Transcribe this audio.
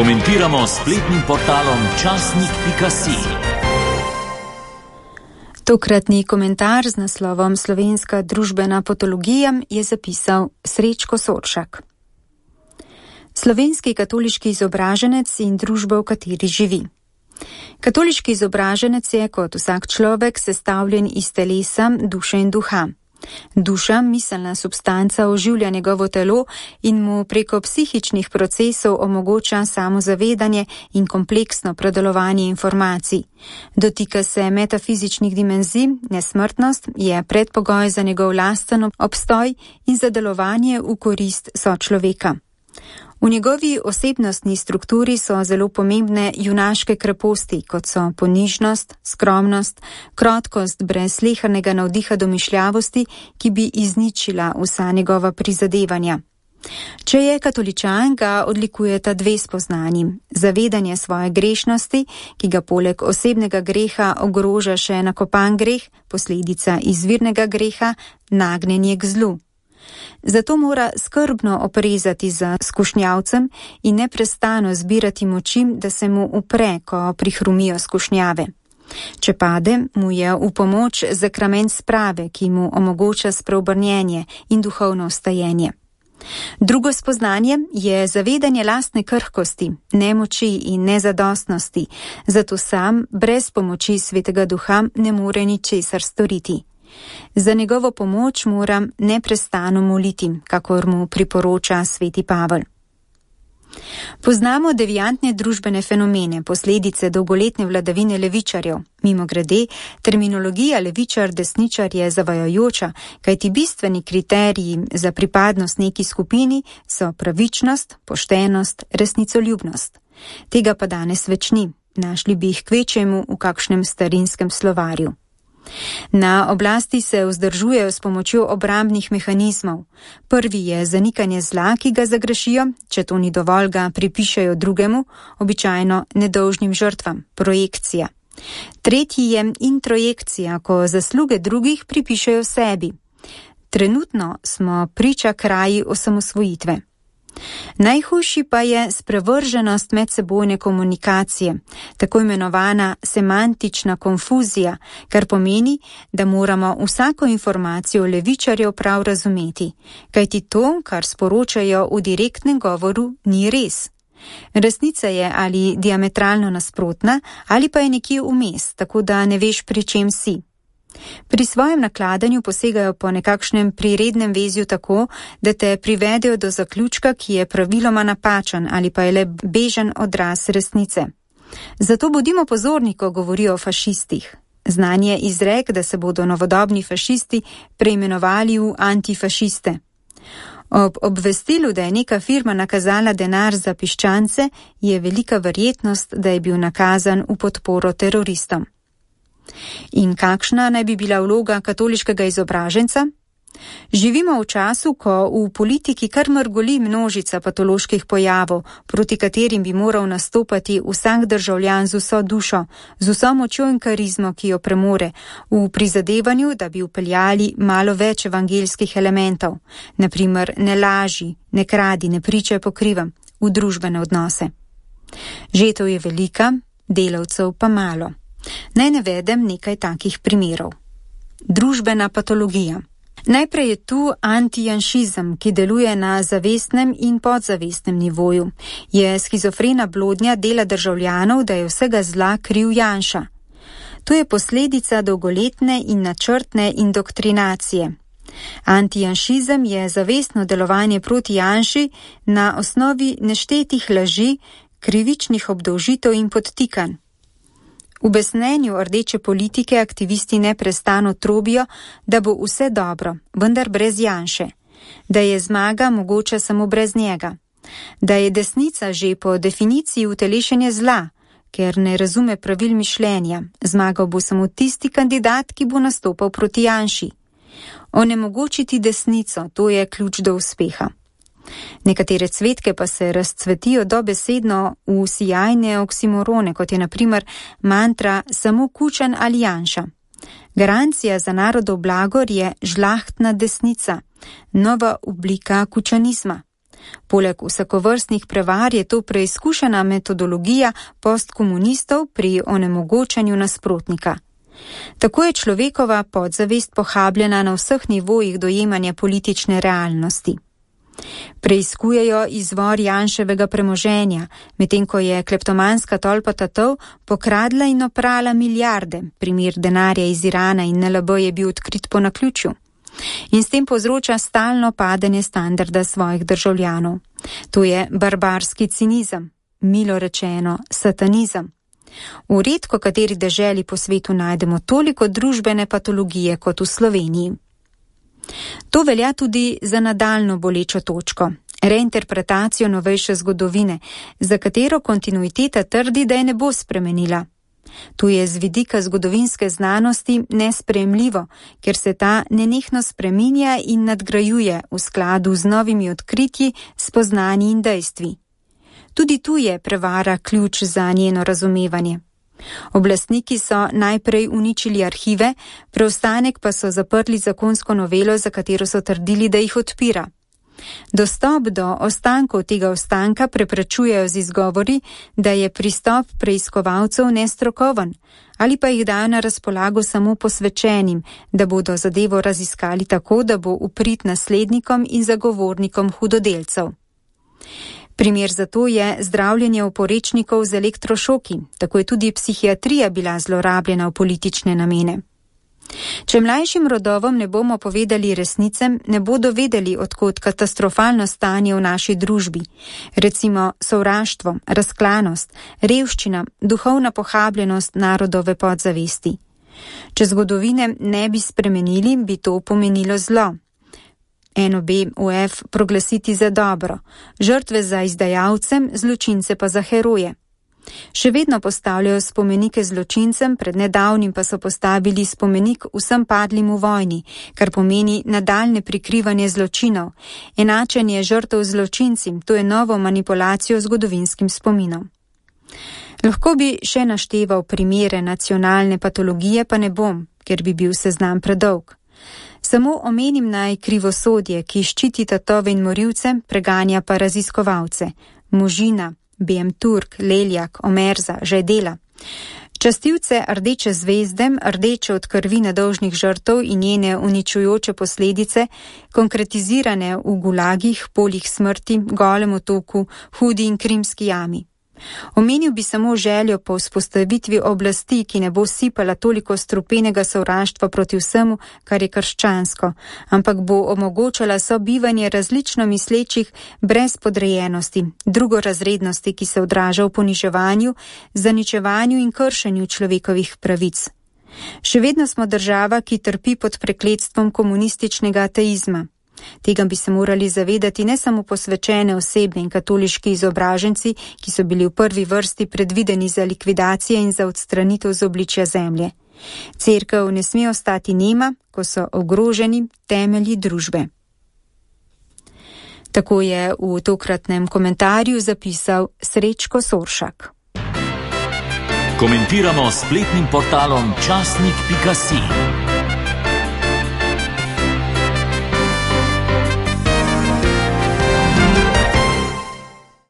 Komentiramo s spletnim portalom časnik.si. Tokratni komentar z naslovom Slovenska družbena patologija je zapisal Srečko Soršak. Slovenski katoliški izobraženec in družba, v kateri živi. Katoliški izobraženec je kot vsak človek sestavljen iz telesa, duše in duha. Duša, miselna substanca, oživlja njegovo telo in mu preko psihičnih procesov omogoča samozavedanje in kompleksno predelovanje informacij. Dotika se metafizičnih dimenzij, nesmrtnost je predpogoj za njegov lasten obstoj in za delovanje v korist sočloveka. V njegovi osebnostni strukturi so zelo pomembne junaške kreposti, kot so ponižnost, skromnost, krotkost brez slehernega navdiha domišljavosti, ki bi izničila vsa njegova prizadevanja. Če je katoličan, ga odlikujeta dve spoznanji. Zavedanje svoje grešnosti, ki ga poleg osebnega greha ogroža še nakopan greh, posledica izvirnega greha, nagnjenje k zlu. Zato mora skrbno oprezati za skušnjavcem in neprestano zbirati moči, da se mu upre, ko prihrumijo skušnjave. Če pade, mu je v pomoč zakrament sprave, ki mu omogoča spreobrnjenje in duhovno vstajenje. Drugo spoznanje je zavedanje lastne krhkosti, nemoči in nezadostnosti, zato sam brez pomoči Svetega Duha ne more ničesar storiti. Za njegovo pomoč moram neprestano moliti, kakor mu priporoča sveti Pavel. Poznamo deviantne družbene fenomene, posledice dolgoletne vladavine levičarjev. Mimogrede, terminologija levičar-desničar je zavajajoča, kajti bistveni kriteriji za pripadnost neki skupini so pravičnost, poštenost, resnicoljubnost. Tega pa danes več ni, našli bi jih kvečjemu v kakšnem starinskem slovarju. Na oblasti se vzdržujejo s pomočjo obrambnih mehanizmov. Prvi je zanikanje zla, ki ga zagrešijo, če to ni dovolj, ga pripišejo drugemu, običajno nedolžnim žrtvam, projekcija. Tretji je introjekcija, ko zasluge drugih pripišejo sebi. Trenutno smo priča kraji osamosvojitve. Najhujši pa je sprevrženost medsebojne komunikacije, tako imenovana semantična konfuzija, kar pomeni, da moramo vsako informacijo levičarjev prav razumeti, kajti to, kar sporočajo v direktnem govoru, ni res. Resnica je ali diametralno nasprotna, ali pa je nekje vmes, tako da ne veš, pri čem si. Pri svojem nakladanju posegajo po nekakšnem prirednem vezju tako, da te privedejo do zaključka, ki je praviloma napačen ali pa je le bežen odraz resnice. Zato bodimo pozorni, ko govorijo o fašistih. Znan je izrek, da se bodo novodobni fašisti preimenovali v antifašiste. Ob obvestilu, da je neka firma nakazala denar za piščance, je velika verjetnost, da je bil nakazan v podporo teroristom. In kakšna naj bi bila vloga katoliškega izobraženca? Živimo v času, ko v politiki kar mrgoli množica patoloških pojavov, proti katerim bi moral nastopati vsak državljan z vso dušo, z vso močjo in karizmo, ki jo premore, v prizadevanju, da bi vpeljali malo več evangeljskih elementov, naprimer ne laži, ne kradi, ne pričaj po krivem, v družbene odnose. Žetev je velika, delavcev pa malo. Naj navedem nekaj takih primerov. Družbena patologija. Najprej je tu antijanšizem, ki deluje na zavestnem in podzavestnem nivoju. Je schizofrena blodnja dela državljanov, da je vsega zla kriv Janša. To je posledica dolgoletne in načrtne indoktrinacije. Antijanšizem je zavestno delovanje proti Janši na osnovi neštetih laži, krivičnih obdolžitev in podtikanj. V besnenju rdeče politike aktivisti neprestano trobijo, da bo vse dobro, vendar brez Janše, da je zmaga mogoča samo brez njega, da je desnica že po definiciji utelešenje zla, ker ne razume pravil mišljenja, zmagal bo samo tisti kandidat, ki bo nastopal proti Janši. Onemogočiti desnico, to je ključ do uspeha. Nekatere cvetke pa se razcvetijo dobesedno v sijajne oksimorone, kot je na primer mantra samo Kučan ali Janša. Garancija za narodov blagor je žlahtna desnica, nova oblika kučanizma. Poleg vsakovrstnih prevar je to preizkušena metodologija postkomunistov pri onemogočanju nasprotnika. Tako je človekova podzavest pohabljena na vseh nivojih dojemanja politične realnosti. Preiskujejo izvor Janševega premoženja, medtem ko je kleptomanska tolpa tatov pokradla in oprala milijarde, primer denarja iz Irana in NLB je bil odkrit po naključju. In s tem povzroča stalno padanje standarda svojih državljanov. To je barbarski cinizem, milo rečeno satanizem. V redko kateri deželi po svetu najdemo toliko družbene patologije kot v Sloveniji. To velja tudi za nadaljnjo bolečo točko, reinterpretacijo novejše zgodovine, za katero kontinuiteta trdi, da je ne bo spremenila. Tu je z vidika zgodovinske znanosti nesprejemljivo, ker se ta nenehno spreminja in nadgrajuje v skladu z novimi odkritji, spoznanji in dejstvi. Tudi tu je prevara ključ za njeno razumevanje. Oblastniki so najprej uničili arhive, preostanek pa so zaprli zakonsko novelo, za katero so trdili, da jih odpira. Dostop do ostankov tega ostanka preprečujejo z izgovori, da je pristop preiskovalcev nestrokoven, ali pa jih dajo na razpolago samo posvečenim, da bodo zadevo raziskali tako, da bo v prid naslednikom in zagovornikom hudodelcev. Primer za to je zdravljenje oporečnikov z elektrošoki, tako je tudi psihiatrija bila zlorabljena v politične namene. Če mlajšim rodovom ne bomo povedali resnice, ne bodo vedeli, odkot katastrofalno stanje v naši družbi, recimo sovraštvo, razklanost, revščina, duhovna pohabljenost narodove podzavesti. Če zgodovine ne bi spremenili, bi to pomenilo zlo. NOB-UF proglasiti za dobro, žrtve za izdajalcem, zločince pa za heroje. Še vedno postavljajo spomenike zločincem, pred nedavnim pa so postavili spomenik vsem padlim v vojni, kar pomeni nadaljne prikrivanje zločinov, enačenje žrtev zločinci, to je novo manipulacijo zgodovinskim spominom. Lahko bi še našteval primere nacionalne patologije, pa ne bom, ker bi bil seznam predolg. Samo omenim naj krivosodje, ki ščiti tatove in morilce, preganja pa raziskovalce, Možina, BM Turk, Leljak, Omerza, Žajdela. Častilce Rdeče zvezde, rdeče od krvi nedolžnih žrtev in njene uničujoče posledice, konkretizirane v gulagih, poljih smrti, Golem otoku, Hudi in Krimski jami. Omenil bi samo željo po vzpostavitvi oblasti, ki ne bo sipala toliko strupenega sovraštva proti vsemu, kar je krščansko, ampak bo omogočala sobivanje različno mislečih brez podrejenosti, drugorazrednosti, ki se odraža v poniževanju, zaničevanju in kršenju človekovih pravic. Še vedno smo država, ki trpi pod prekletstvom komunističnega ateizma. Tega bi se morali zavedati ne samo posvečene osebe in katoliški izobraženci, ki so bili v prvi vrsti predvideni za likvidacije in za odstranitev z obličja zemlje. Cerkev ne sme ostati nema, ko so ogroženi temelji družbe. Tako je v tokratnem komentarju zapisal Srečko Soršak. Komentiramo spletnim portalom časnik.si.